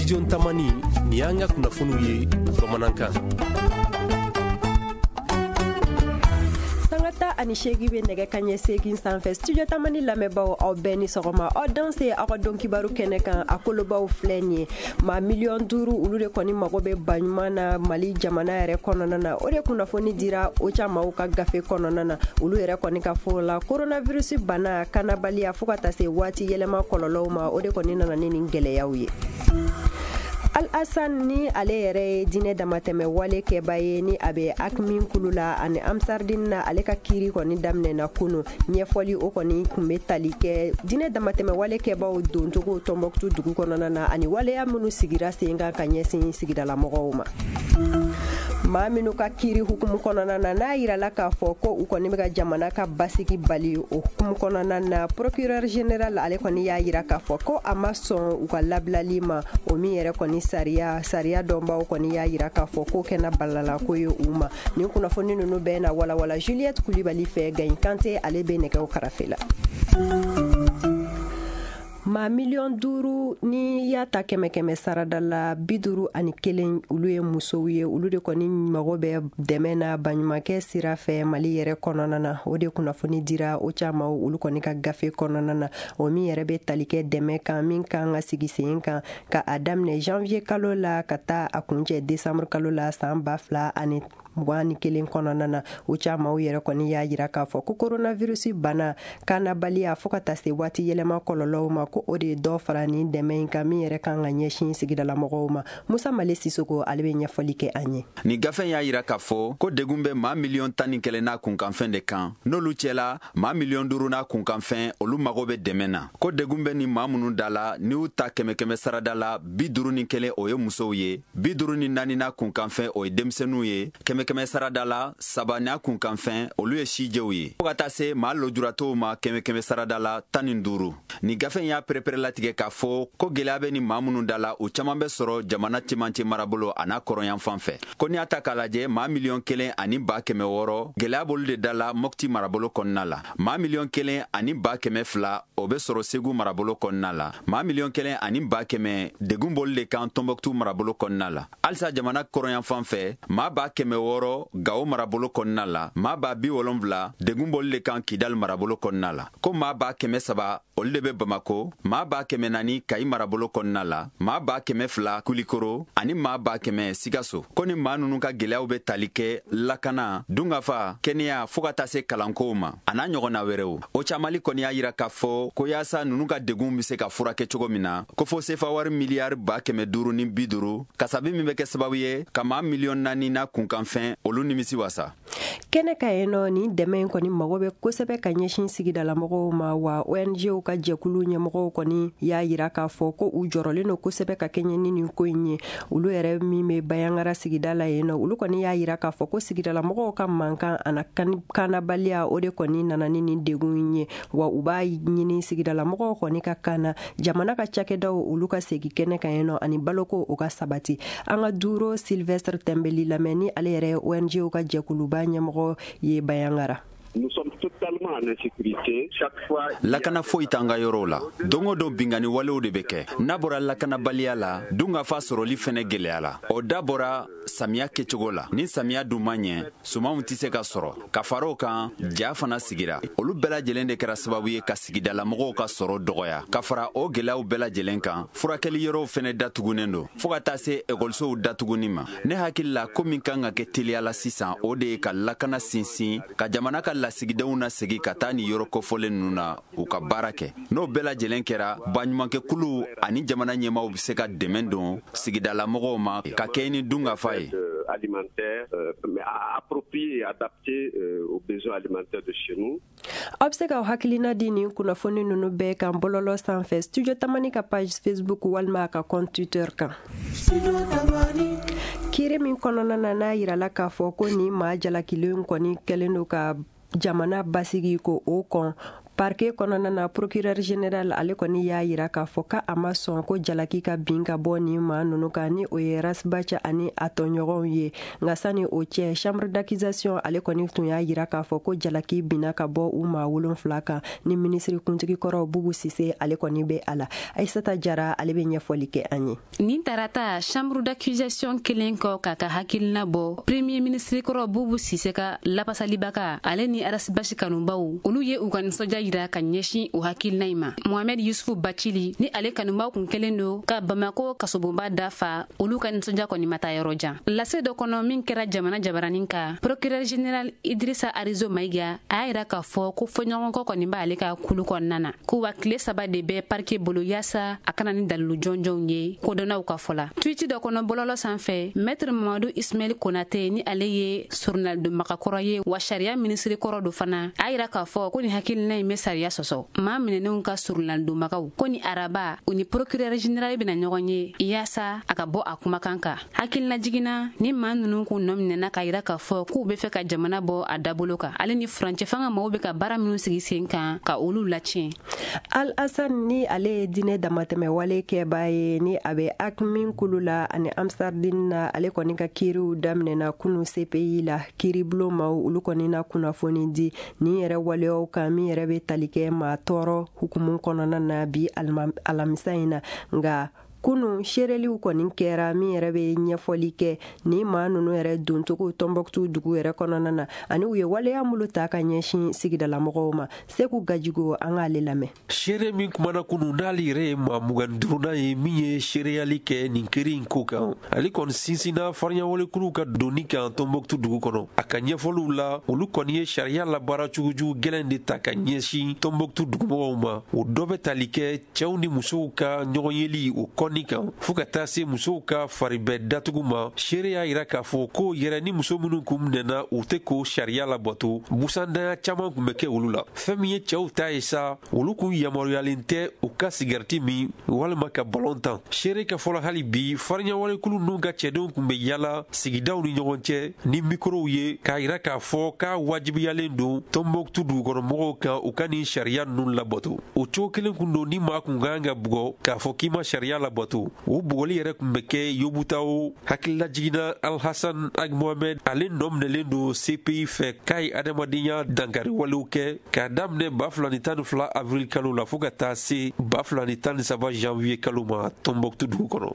Studio Tamani, nin y'an ka kunnafoniw ye bamanankan. Sanga 18 bɛ nɛgɛ kaɲɛ 8 sanfɛ. Studio Tamani lamɛnbaaw, aw bɛɛ ni sɔgɔma. Aw danse aw ka don kibaru kɛnɛ kan. A kolobaw filɛ nin ye: maa 5 miliyɔn, olu de kɔni mago bɛ baɲuman na Mali jamana yɛrɛ kɔnɔna na. O de kunnafoni dira OCHA maaw ka gafe kɔnɔna na. Olu yɛrɛ kɔni ka fɔ la, coronavirus bana kanabaliya fo ka taa se waati yɛlɛma kɔlɔlɔw ma, o de kɔni nana ni nin gɛlɛyaw ye. Al Hassan, ni ale yɛrɛ ye diinɛ damatɛmɛ wale kɛba ye, ni a bɛ AQMI kulu la ani Ansardine na, ale ka kiiri kɔni daminɛna kunu. Ɲɛfɔli o kɔni tun bɛ tali kɛ diinɛ damatɛmɛ wale kɛbaw doncogo Tɔnbɔkutu dugu kɔnɔna na ani waleya minnu sigira sen kan ka ɲɛsin sigidalamɔgɔw ma. Maa minnu ka kiiri hukumu kɔnɔna na, n'a yirala k'a fɔ ko u kɔni bɛ ka jamana ka basigi bali, o hukumu kɔnɔna na, procureur général ale kɔni y'a yira k'a fɔ ko a ma sɔn u ka labilali ma. O min yɛrɛ kɔni sariya dɔnbaw kɔni y'a yira k'a fɔ ko kɛnɛ balala ko ye u ma. Nin kunnafoni ninnu bɛɛ na walawala Juliette Kulibali fɛ. Gaɲi Kante, ale bɛ nɛgɛw karafe la. Maa 5 miliyɔn, ni y'a ta kɛmɛ kɛmɛ sarada la, 51, olu ye musow ye. Olu de kɔni mago bɛ dɛmɛ na baɲumankɛ sira fɛ Mali yɛrɛ kɔnɔna na. O de kunnafoni dira OCHA maaw, olu kɔni ka gafe kɔnɔna na, o min yɛrɛ bɛ tali kɛ dɛmɛ kan min kan ka sigi sen kan ka a daminɛ janvier kalo la ka taa a kuncɛ décembre kalo la san 2021 kɔnɔna na. OCHA maaw yɛrɛ kɔni y'a yira k'a fɔ ko coronavirus bana kanabaliya fo ka taa se waati yɛlɛma kɔlɔlɔw ma, ko o de ye dɔ fara nin dɛmɛ in kan min yɛrɛ kan ka ɲɛsin sigidalamɔgɔw ma. Musa Male Sisoko, ale bɛ ɲɛfɔli kɛ an ye. Nin gafe y'a yira k'a fɔ ko degun bɛ maa 11 miliyɔn n'a kunkanfɛn de kan. N'olu cɛla, maa 5 miliyɔn n'a kunkanfɛn, olu mago bɛ dɛmɛ na. Ko degun bɛ ni maa minnu da la, n'i y'u ta kɛmɛ kɛmɛ sarada la, 51, o ye musow ye, 54 n'a kunkanfɛn, o ye denmisɛnninw ye, kɛmɛ kɛmɛ sarada la, 3 n'a kunkanfɛn, olu ye sijɛw ye, fɔɔ ka taa se maa lojuratɔw ma, kɛmɛ kɛmɛ sarada la, 15. Nin gafe y'a pereperelatigɛ k'a fɔ ko gwɛlɛya bɛ ni maa minnu da la, u caaman bɛ sɔrɔ jamana cɛmancɛ marabolo a n'a kɔrɔyan fan fɛ. Ko n'i y'a ta k'a lajɛ, maa 1 100 600, gwɛlɛya b'olu de da la Mɔpti marabolo kɔnɔna la. Maa 1 102 000, o bɛ sɔrɔ Segu marabolo kɔnɔna la. Maa 1 100 000, degun b'olu de kan Tɔnbɔkutu marabolo kɔnɔna la. Halisa jamana kɔrɔyan fan fɛ, maa 600 000 Gawo marabolo kɔnɔna la. Maa 70 000, degun b'olu de kan Kidali marabolo kɔnɔna la. Ko maa 300 000, olu de bɛ Bamako, maa 400 000 Kayi marabolo kɔnɔna la, maa 200 000 Kulikoro ani maa 100 000 Sikaso. Ko ni maa nunu ka gwɛlɛyaw bɛ tali kɛ lakana, dungafa, kɛnɛya, fɔɔ ka taa se kalankow ma, a n'a ɲɔgɔnna wɛrɛw. OCHA Mali kɔni y'a yira k'a fɔ ko yaasa nunu ka degun be se ka furakɛ cogo min na, ko fo sefa wari miliyari 550 000 000 000 kasabi min bɛ kɛ sababu ye ka maa 4 miliyɔn n'a kunkanfɛn, olu nimisi wasa. Kɛnɛ ka yen nɔ, nin dɛmɛ in kɔni mago bɛ kosɛbɛ ka ɲɛsin sigidalamɔgɔw ma wa. ONGw ka jɛkulu ɲɛmɔgɔw kɔni y'a yira k'a fɔ ko u jɔrɔlen don kosɛbɛ ka kɛɲɛ ni nin ko in ye. Olu yɛrɛ min bɛ Bayangara sigida la yen nɔ, olu kɔni y'a yira k'a fɔ ko sigidalamɔgɔw ka mankan ana kanabaliya, o de kɔni nana ni nin degun in ye wa. U b'a ɲini sigidalamɔgɔw kɔni ka kana jamana ka cakɛdaw, olu ka segin kɛnɛ kan yen nɔ ani baloko o ka sabati. An ka Duro Sylvestre Tɛnbeli lamɛn, ni ale yɛrɛ ye ONGw ka jɛkuluba ɲɛmɔgɔ ye Bayangara. Nous sommes totalement en insécurité. Chaque fois, Lakana foyi t'an ka yɔrɔw la. Don o don, bingani walew de bɛ kɛ. N'a bɔra lakanabaliya la, dunkafa sɔrɔli fɛnɛ gwɛlɛya la. O da bɔra samiya kɛcogo la. Ni samiya dun ma ɲɛ, sumanw tɛ se ka sɔrɔ. Ka fara o kan, ja fana sigira. Olu bɛɛ lajɛlen de kɛra sababu ye ka sigidalamɔgɔw ka sɔrɔ dɔgɔya. Ka fara o gwɛlɛyaw bɛɛ lajɛlen kan, furakɛli yɔrɔw fɛnɛ datugunen don, fɔɔ ka taa se ekɔlisow datuguni ma. Ne hakili la, ko min kan ka kɛ teliya la sisan, o de ye ka lakana sinsin, ka jamana ka lasigidenw na segi ka taa nin yɔrɔ kofɔlen ninnu na, u ka baara kɛ. N'o bɛɛ lajɛlen kɛra, baɲumankɛkuluw ani jamana ɲɛmaw be se ka dɛmɛ don sigidalamɔgɔw ma ka kɛɲɛ ni dunkafa ye. Alimentaire, mais approprié et adapté aux besoins alimentaires de chez nous. Aw bɛ se k'aw hakilina di nin kunnafoni ninnu bɛɛ kan bɔlɔlɔ sanfɛ, Studio Tamani ka page Facebook walima a ka compte Twitter kan. Kiiri min kɔnɔna na, n'a yirala k'a fɔ ko nin maa jalakilen kɔni kɛlen don ka jamana basigi ko o kɔn. Parquet kɔnɔna na, procureur général ale kɔni y'a yira k'a fɔ ka a ma sɔn ko jalaki ka bin ka bɔ nin maa ninnu kan, ni o ye Ras Bath ani a tɔɲɔgɔnw ye. Nka sani o cɛ, chambre d'accusation ale kɔni tun y'a yira k'a fɔ ko jalaki binna ka bɔ u maa 7 kan, ni minisiri kuntigi kɔrɔ Boubou Cissé ale kɔni bɛ a la. Aïssata Jara ale bɛ ɲɛfɔli kɛ an ye. Nin tarata, chambre d'accusation kelen kɔ k'a ka hakilina bɔ, premier ministre kɔrɔ Boubou Cissé ka lapasalibaga, ale ni Ras Bath kanubaw, olu ye u ka nisɔndiya yira ka ɲɛsin o hakilina in ma. Mohamed Yusufu Bacili ni ale kanubaw kun kelen don ka Bamako kasobonba dafa, olu ka nisɔndiya kɔni ma taa yɔrɔ jan. Lase dɔ kɔnɔ min kɛra jamana jabaranin kan, procureur général Idrissa Arizo Maïga a y'a yira k'a fɔ ko fɔɲɔgɔnkɔ kɔni b'ale ka kulu kɔnɔna na, ko wa tile 3 de bɛ parquet bolo yaasa a kana ni dalilu jɔnjɔnw ye kodɔnnaw ka fɔ la. Tweet dɔ kɔnɔ bɔlɔlɔ sanfɛ, maître Mamadou Ismaël Konate, ni ale ye surunalidonbagakɔrɔ ye wa sariya minisiri kɔrɔ do fana, a yira k'a fɔ ko ni hakilina in bɛ sariya sɔsɔ. Maa minɛnenw ka surunalidonbagaw ko ni araba u ni procureur général bɛna ɲɔgɔn ye yaasa a ka bɔ a kumakan kan. Hakilina jiginna, ni maa ninnu kun nɔ minɛna k'a yira k'a fɔ k'u bɛ fɛ ka jamana bɔ a dabolo kan, ale ni furancɛ fanga maaw bɛ ka baara minnu sigi sen kan ka olu latiɲɛ. Al Hassan, ni ale ye diinɛ damatɛmɛ wale kɛbaa ye, ni a bɛ AQMI kulu la ani Ansardine na, ale kɔni ka kiiriw daminɛna kunu CPI la. Kiiribulon maaw olu kɔni na kunnafoni di nin yɛrɛ waleyaw kan min yɛrɛ bɛ tali kɛ maa tɔɔrɔ hukumu kɔnɔna na bi alamisa in na. Nka kunu, seereliw kɔni kɛra min yɛrɛ bɛ ɲɛfɔli kɛ ni maa ninnu yɛrɛ doncogo Tɔnbɔkutu dugu yɛrɛ kɔnɔna na, ani u ye waleya minnu ta ka ɲɛsin sigidalamɔgɔw ma. Segu Gajigo, an k'ale lamɛn. Seere min kumana kunu, n'ale yɛrɛ ye maa 25nan ye min ye seereyali kɛ nin kiri in ko kan, ale kɔni sinsinna farinyawalekuluw ka donni kan Tɔnbɔkutu dugu kɔnɔ. A ka ɲɛfɔliw la, olu kɔni ye sariya labaara cogojugu gɛlɛn de ta ka ɲɛsin Tɔnbɔkutu dugumɔgɔw ma. O dɔ bɛ tali kɛ cɛw ni musow ka ɲɔgɔn yeli o kɔni kan, fɔɔ ka taa se musow ka faribɛ datugu ma. Seere y'a yira k'a fɔ ko yɛrɛ ni muso minnu kun minɛna, u tɛ k'o sariya labato, busandanya caman kun bɛ kɛ olu la. Fɛn min ye cɛw ta ye sa, olu kun yamaruyalen tɛ u ka sigariti min walima ka balon tan. Seere ka fɔlɔ, hali bi farinyawalekulu ninnu ka cɛdenw kun bɛ yala sigidaw ni ɲɔgɔn cɛ ni mikorow ye k'a yira k'a fɔ k'a wajibiyalen don Tɔnbɔkutu dugukɔnɔmɔgɔw kan u ka nin sariya ninnu labato. O cogo kelen kun don, ni maa kun kan ka bugɔ k'a fɔ k'i ma sariya labato, o bugɔli yɛrɛ kun bɛ kɛ Yobutawo. Hakilila jiginna, Alhassan Ag Mohamed, ale nɔ minɛlen don CPI fɛ k'a ye adamadenya dankari walew kɛ k'a daminɛ 2012 avril kalo la fɔɔ ka taa se 2013 janvier kalo ma Tɔnbɔkutu dugu kɔnɔ.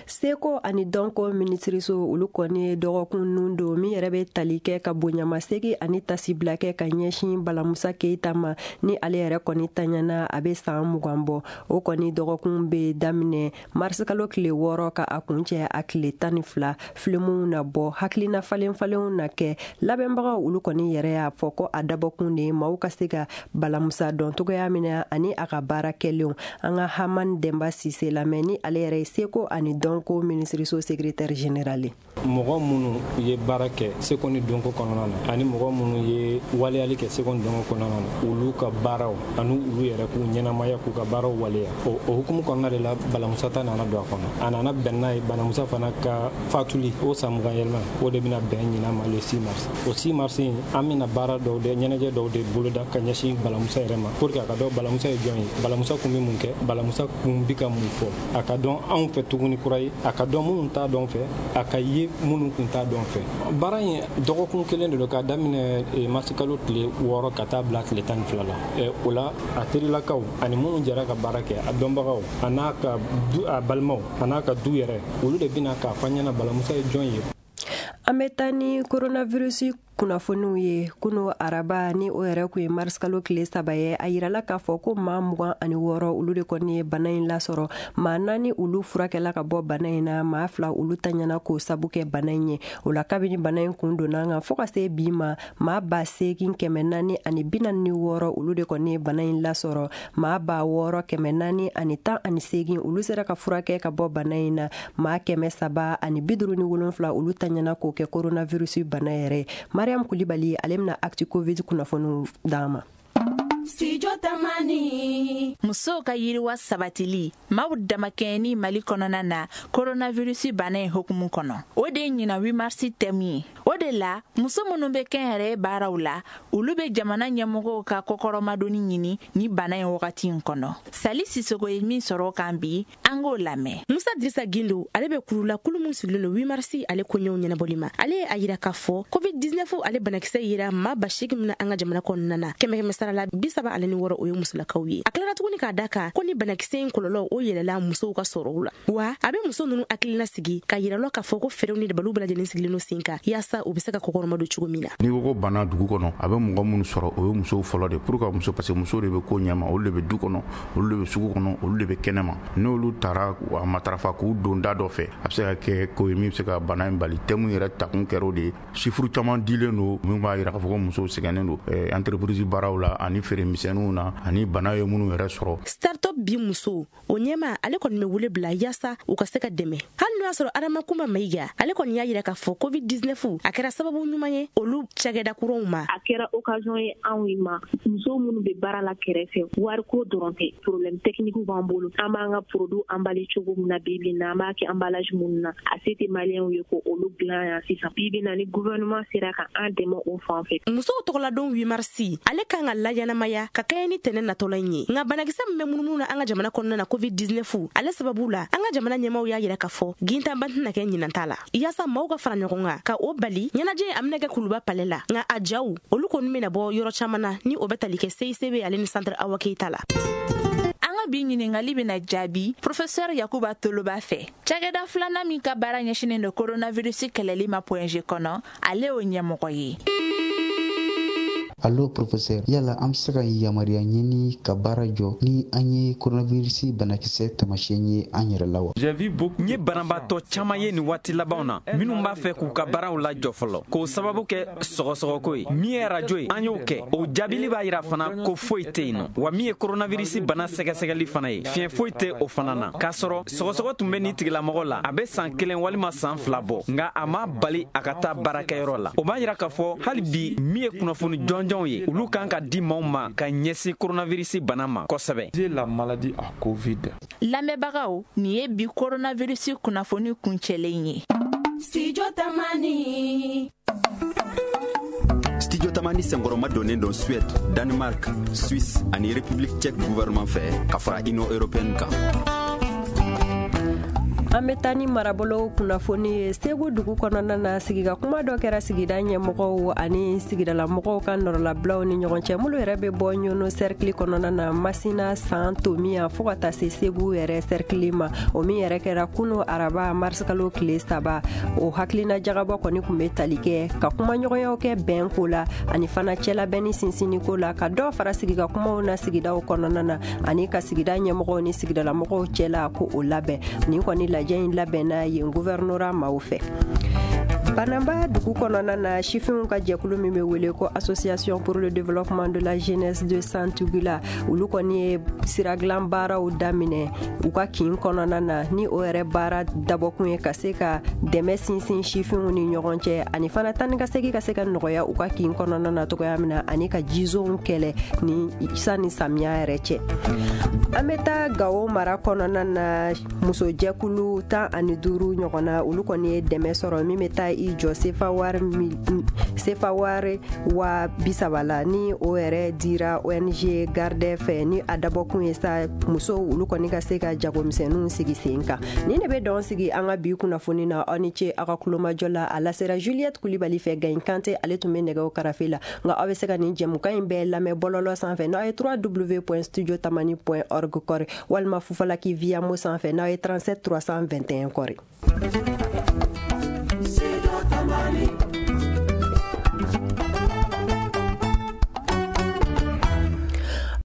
Seko ani dɔnko minisiriso olu kɔni ye dɔgɔkun nun don min yɛrɛ bɛ tali kɛ ka bonyamasegi ani tasibila kɛ ka ɲɛsin Balamusa Keyita ma, ni ale yɛrɛ kɔni taɲana a bɛ san 20 bɔ. O kɔni dɔgɔkun bɛ daminɛ marisikalo tile 6 ka a kuncɛ a tile 12. Filimuw na bɔ, hakilina falen falenw na kɛ. Labɛnbagaw olu kɔni yɛrɛ y'a fɔ ko a dabɔkun de ye maaw ka se ka Balamusa dɔn cogoya min na ani a ka baara kɛlenw. An ka Hamani Denba Sise lamɛn, ni ale yɛrɛ ye seko ani dɔnko minisiriso secrétaire général ye. Mɔgɔ minnu ye baara kɛ seko ni dɔnko kɔnɔna na, ani mɔgɔ minnu ye waleyali kɛ seko ni dɔnko kɔnɔna na, olu ka baaraw ani olu yɛrɛ k'u ɲɛnamaya, k'u ka baaraw waleya, o hukumu kɔnɔna de la Balamusa ta nana don a kɔnɔ. A nana bɛn n'a ye Balamusa fana ka fatuli o san 20 yɛlɛma, o de bɛna bɛn ɲinan ma le 6 mars. O 6 mars in, an bɛna baara dɔw de, ɲɛnajɛ dɔw de boloda ka ɲɛsin Balamusa yɛrɛ ma, pour que a ka dɔn Balamusa ye jɔn ye, Balamusa kun bɛ mun kɛ, Balamusa kun bi ka mun fɔ, a ka dɔn anw fɛ tuguni kura ye, a ka dɔn minnu t'a dɔn fɛ, a ka ye minnu kun t'a dɔn fɛ. Baara in dɔgɔkun kelen de don, k'a daminɛ marisikalo tile 6 ka taa bila tile 12 la. O la, a terilakaw ani minnu jɛra ka baara kɛ, a dɔnbagaw, a n'a ka du, a balimaw, a n'a ka du yɛrɛ, olu de bɛna k'a fɔ an ɲɛna Balamusa ye jɔn ye. An bɛ taa ni coronavirus kunnafoniw ye. Kunu araba, ni o yɛrɛ kun ye marisikalo tile 3 ye, a yirala k'a fɔ ko maa 26 olu de kɔni ye bana in lasɔrɔ. Maa 4 olu furakɛla ka bɔ bana in na, maa 2 olu taɲana k'o sabu kɛ bana in ye. O la, kabini bana in kun donna an kan fɔɔ ka se bi ma, maa 8446 olu de kɔni ye bana in lasɔrɔ. Maa 6418 olu sera ka furakɛ ka bɔ bana in na. Maa 357 olu taɲana k'o kɛ coronavirus bana yɛrɛ. Mariam Kulibali ale bɛna Actu Covid kunnafoniw d'an ma. Studio Tamani. Musow ka yiriwa sabatili maaw damakɛɲɛni Mali kɔnɔna na coronavirus bana in hukumu kɔnɔ, o de ye ɲinan 8 mars thème ye. O de la muso minnu bɛ kɛnyɛrɛye baaraw la, olu bɛ jamana ɲɛmɔgɔw ka kɔkɔrɔmadonni ɲini ni bana in wagati in kɔnɔ. Sali Sisoko ye min sɔrɔ o kan bi, an k'o lamɛn. Musa Dirisa Gindo, ale bɛ kurula kulu min sigilen don 8 mars ale koɲɛw ɲɛnabɔli ma. Ale ye a yira k'a fɔ COVID-19 ale banakisɛ yera maa 8,000 min na an ka jamana kɔnɔna na, 100 sara la 36, o ye musolakaw ye. A tilara tuguni k'a da kan ko ni banakisɛ in kɔlɔlɔ o yɛlɛla musow ka sɔrɔw la, wa a bɛ muso ninnu hakilina sigi ka yira lɔ k'a fɔ ko fɛɛrɛw ni dabaliw bɛɛ lajɛlen sigilen don sen kan yaasa u bɛ se ka kɔkɔrɔma don cogo min na. N'i ko ko bana dugu kɔnɔ, a bɛ mɔgɔ minnu sɔrɔ, o ye musow fɔlɔ de. Pour que muso, parce que musow de bɛ ko ɲɛma, olu de bɛ du kɔnɔ, olu de bɛ sugu kɔnɔ, olu de bɛ kɛnɛma. N'olu taara a matarafa k'u don da dɔ fɛ, a bɛ se ka kɛ ko ye min bɛ se ka bana in bali. Thème yɛrɛ takun kɛra o de ye. Chiffre caman dilen don min b'a yira k'a fɔ ko musow sɛgɛnnen don entreprise baaraw la ani feere misɛnninw na ani bana ye minnu yɛrɛ sɔrɔ. Startup bi muso o ɲɛma, ale kɔni bɛ wele bila yaasa u ka se ka dɛmɛ. Hali n'o y'a sɔrɔ Adama Kunba Mayiga, ale kɔni y'a yira k'a fɔ COVID-19 a kɛra sababu ɲuman ye olu cakɛda kuraw ma. A kɛra occasion ye anw ma, muso minnu bɛ baara la kɛrɛfɛ, wariko dɔrɔn tɛ, problème technique b'an bolo. An b'an ka produit emballé cogo min na bi bi in na, an b'a kɛ emballage minnu na, a se tɛ maliyɛnw ye ko olu dilan yan sisan. Bi bi in na, ni gouvernement sera ka an dɛmɛ o fan fɛ. Musow tɔgɔladon 8 mars, ale kan ka laɲɛnamaya ka kɛɲɛ ni tɛnɛ natɔla in ye. Nka banakisɛ min bɛ munumunu na an ka jamana kɔnɔna na COVID-19, ale sababu la an ka jamana ɲɛmaaw y'a yira k'a fɔ gintanba tɛna kɛ ɲinan ta la, yaasa maaw ka fara ɲɔgɔn kan ka o bali. Ɲɛnajɛ a bɛna kɛ Kuluba palais la, nka a jaw olu kɔni bɛna bɔ yɔrɔ caman na ni o bɛ tali kɛ CICB ale ni centre Awa Keyita la. An ka bi ɲininkali bɛna jaabi professeur Yakuba Toloba fɛ. Cakɛda filanan min ka baara ɲɛsinnen don coronavirus kɛlɛli ma Point G kɔnɔ, ale y'o ɲɛmɔgɔ ye. Allo professeur, yala an bɛ se ka yamaruya ɲini ka baara jɔ ni an ye coronavirus banakisɛ taamasiyɛn ye an yɛrɛ la wa? N ye banabaatɔ caman ye nin waati labanw na minnu b'a fɛ k'u ka baaraw lajɔ fɔlɔ, k'o sababu kɛ sɔgɔsɔgɔko ye. Min ye arajo ye, an y'o kɛ, o jaabili b'a yira fana ko foyi tɛ yen nɔ. Wa min ye coronavirus bana sɛgɛsɛgɛli fana ye, fiɲɛ foyi tɛ o fana na. K'a sɔrɔ sɔgɔsɔgɔ tun bɛ nin tigilamɔgɔ la, a bɛ san 1 walima san 2 bɔ, nka a ma bali a ka taa baarakɛyɔrɔ la. O b'a yira k'a fɔ hali bi min ye kunnafoni jɔnjɔn ye, olu kan ka di maaw ma ka ɲɛsin coronavirus bana ma kosɛbɛ. La maladie à Covid. Lamɛnbagaw, nin ye bi coronavirus kunnafoni kuncɛlen ye. Studio Tamani. Studio Tamani senkɔrɔma donnen don Suède, Danemark, Suisse ani République tchèque gouvernement fɛ ka fara Union européenne kan. An bɛ taa ni marabolo kunnafoni ye. Segu dugu kɔnɔna na, sigika kuma dɔ kɛra sigida ɲɛmɔgɔw ani sigidalamɔgɔw ka nɔrɔlabilaw ni ɲɔgɔn cɛ, minnu yɛrɛ bɛ bɔ Ɲɔnɔ cercle kɔnɔna na, Masina, San, Tomiya fo ka taa se Segu yɛrɛ cercle ma. O min yɛrɛ kɛra kunu araba marisikalo tile 3. O hakilina jagabɔ kɔni tun bɛ tali kɛ ka kumaɲɔgɔnyaw kɛ bɛn ko la ani fana cɛlabɛnni sinsinni ko la, ka dɔ fara sigika kumaw na sigidaw kɔnɔna na ani ka sigida ɲɛmɔgɔw ni sigidalamɔgɔw cɛla ko o labɛn. Nin kɔni lajɛ in labɛnna yen gouvernorat maaw fɛ. Banamba dugu kɔnɔna na, sifinw ka jɛkulu min bɛ wele ko Association pour le développement de la jeunesse de Santugula, olu kɔni ye siradilan baaraw daminɛ u ka kin kɔnɔna na, ni o yɛrɛ baara dabɔkun ye ka se ka dɛmɛ sinsin sifinw ni ɲɔgɔn cɛ ani fana tan ni ka segin ka se ka nɔgɔya u ka kin kɔnɔna na cogoya min na, ani ka jizonw kɛlɛ ni sanni samiya yɛrɛ cɛ. An bɛ taa Gawo mara kɔnɔna na, musojɛkulu 15 ɲɔgɔn na, olu kɔni ye dɛmɛ sɔrɔ min bɛ taa i jɔ sefa wari 30,000 la, ni o yɛrɛ dira ONG Garde fɛ, ni a dabɔkun ye sa musow olu kɔni ka se ka jagomisɛnninw sigi sen kan. Nin de bɛ dɔn sigi an ka bi kunnafoni na. Aw ni ce aw ka kulomajɔ la. A lasera Juliette Kulibali fɛ, Gayin Kante ale tun bɛ nɛgɛw karafe la. Nka aw bɛ se ka nin jɛmukan in bɛɛ lamɛn bɔlɔlɔ sanfɛ n'aw ye www.studiotamani.org kɔri, walima Fufalaki via mo sanfɛ n'aw ye 37 321 kɔri.